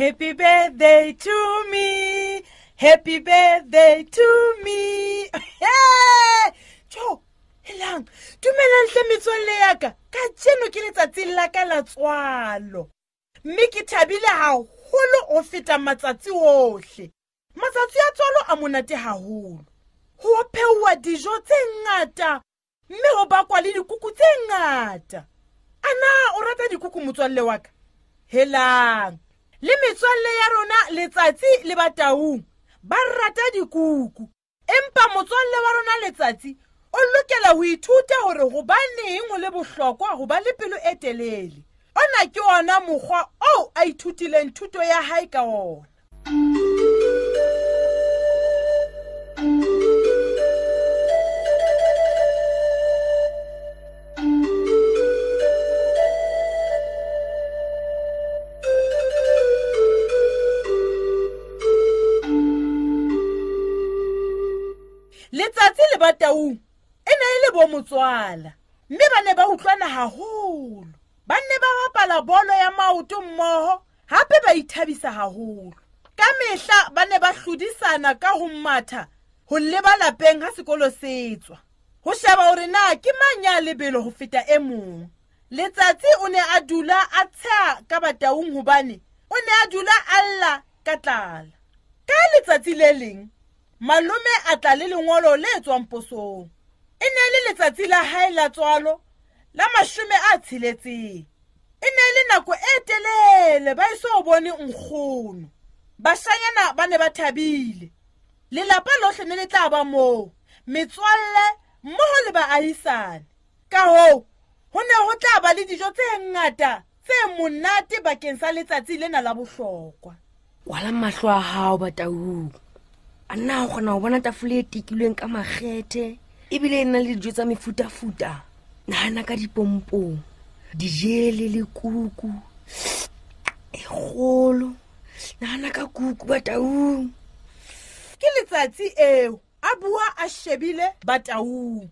Happy birthday to me. Happy birthday to me. Hey! Jo, helang. Dumelang hle metswalle ya ka. Kajeno ke letsatsi la ka la tswalo. Mme ke thabile haholo ho feta matsatsi ohle. Matsatsi a tswalo a monate haholo. Ho pheuwa dijo tse ngata mme ho bakwa le dikuku tse ngata. A na o rata dikuku motswalle wa ka? Helang. Le metswalle ya rona Letsatsi le Bataung ba rata dikuku. Empa motswalle wa rona Letsatsi o lokela ho ithuta hore hobaneng ho le bohlokwa ho ba le pelo e telele. Ona ke ona mokgwa oo a ithutileng thuto ya hae ka ona. Letsatsi le Bataung e ne e le bo motswala mme ba ne ba utlwana haholo. Ba ne ba bapala bolo ya maoto mmoho hape ba ithabisa haholo. Ka mehla ba ne ba hlodisana ka ho matha ho leba lapeng ha sekolo se tswa. Ho sheba hore na ke mang ya lebelo ho feta e mong. Letsatsi o ne a dula a tsheha ka Bataung hobane o ne a dula a lla ka tlala. Ka letsatsi le leng, malome a tla le lengolo le tswang posong. E ne e le letsatsi la hae la tswalo la 60. E ne e le nako e telele ba eso bone nkgono. Bashanyana ba ne ba thabile. Lelapa lohle ne le tla ba moo, metswalle mmoho le baahisane. Ka hoo, ho ne ho tla ba le dijo tse ngata tse monate bakeng sa letsatsi lena la bohlokwa. Kwala mahlo a hao Bataung. A na o kgona ho bona tafole e tekilweng ka makgethe ebile e na le dijo tsa mefutafuta. Nahana ka dipompong, dijele le kuku e kgolo. Nahana ka kuku Bataung. Ke letsatsi eo a bua a shebile Bataung.